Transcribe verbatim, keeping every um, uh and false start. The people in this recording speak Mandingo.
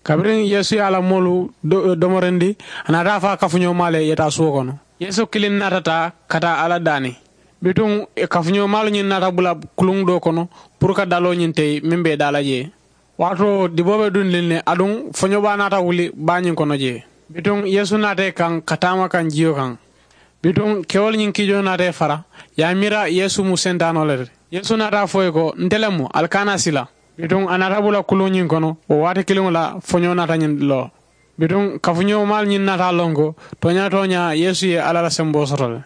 Kabiriŋ yeesu ye a la moolu domorindi, a naata a faa kafuñoo maa le ye taa suwo kono. Yeesu kiliŋ naata taa ka taa alla daani. Bituŋ kafuñoo maalu ñiŋ naata bula kuluŋ doo kono puru ka daloo ñiŋ teyi meŋ be daa la jee. Waatoo diboo be dundiŋ ne aduŋ foñoo baa naata wuli baa ñiŋ kono jee. Bituŋ yeesu naata ì kaŋ ka taama kaŋ jiyo kaŋ. Bituŋ kewolu ñiŋ kiijoo naata ì fara, ì ye a miira yeesu mu sentaanoo le ti. Yeesu naata a fo ì ko, nte le mu, ali kana sila. Bituŋ a naata bula kuluŋ ñiŋ kono wo waati kiliŋo la. Foñoo naata ñiŋ loo. Bituŋ kafuñoo maalu ñiŋ naata a loŋ ko tooñaa tooñaa yeesu ye alla la semboo soto le.